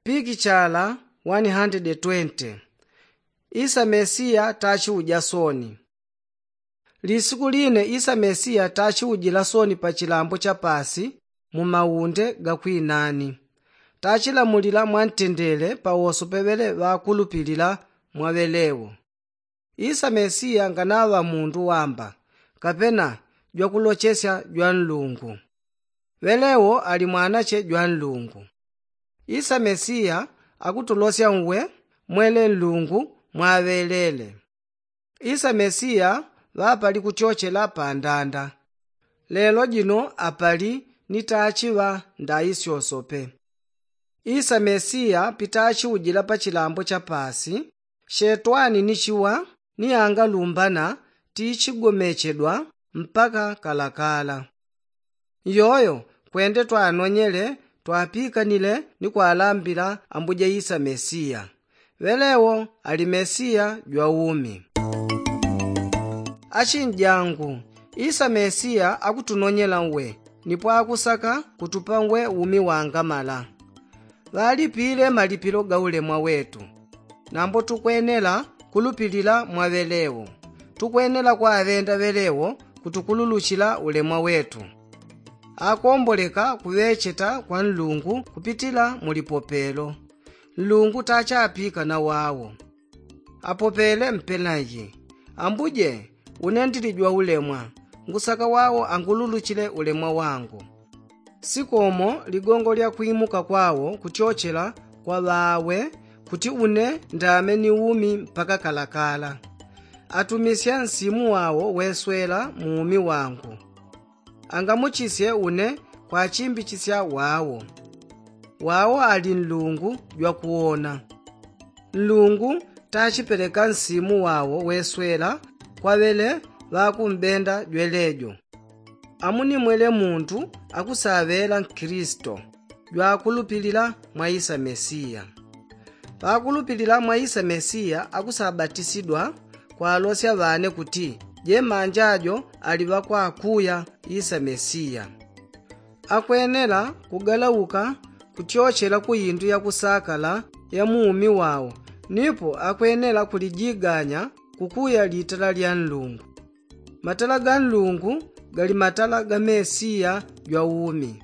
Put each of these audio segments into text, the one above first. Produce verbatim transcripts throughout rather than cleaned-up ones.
Pikichala one hundred twenty. Isa mesiya tachiuja soni. Lisiku line isa mesiya tachiujila soni pa chilambo cha pasi mu maunde ga kwinani. Tachilamulila mwantendele pawoso pevele ŵakulupilila mwa ŵelewo. Isa mesiya nganaŵa mundu wamba, kapena jwakulochesya jwa nlungu. Ŵelewo ali mwanache jwa nlungu. Isa mesiya akutulosya uwe mwele nlungu mwaŵelele. Isa mesiya ŵapali kutyochela pa ndanda. Lelo jino apali ni tachiŵa ndaisyosope. Isa mesiya pitachiujila pa chilambo cha pasi, shetwani ni chiwa ni angalumbana tichigomechedwa mpaka kalakala. Iyoyo kwende twanonyele twapikanile ni kwalambila ambuja isa mesiya. Ŵelewo ali mesiya jwa umi. Achinjangu, isa mesiya akutunonyela uwe nipo akusaka kutupa uwe umi wangamala. Ŵalipile malipilo ga ulemwa wetu. Nambo tukwenela kulupilila mwa ŵelewo. Tukwenela kwaŵenda ŵelewo kutukululuchila ulemwa wetu. Akomboleka kuŵecheta kwa nlungu kupitila mu lipopelo. Nlungu tachapika na wawo. Apopele mpenaji, ambuje, une ndili jwa ulemwa. Ngusaka wawo angululuchile ulemwa wangu. Sikomo ligongo lya kwimuka kwawo kutyochela kwa ŵawe kuti une ndame ni umi mpaka kalakala. Atumisya nsimu wawo weswela mu umi wangu. Angamuchisye une kwachimbichisya wawo. Wawo ali nlungu jwa kuwona. Nlungu tachipeleka nsimu wawo weswela kwa ŵele ŵakumbenda jwelejo. Amunimwele muntu akusaŵela nkristo jwakulupilila mwa isa mesiya. Pakulupilila mwa isa mesiya akusabatisidwa kwalosya ŵane kuti jemanjajo ali ŵakwakuya isa mesiya. Akwenela kugalauka kutyochela ku indu ya kusakala ya mu umi wawo. Nipo akwenela kulijiganya kukuya litala lya nlungu. Matala ga nlungu gali matala ga mesiya jwa umi.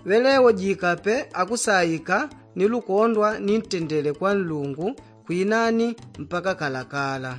Ŵelewo jikape akusaika ni lukondwa ni ntendele kwa nlungu kwinani mpaka kalakala.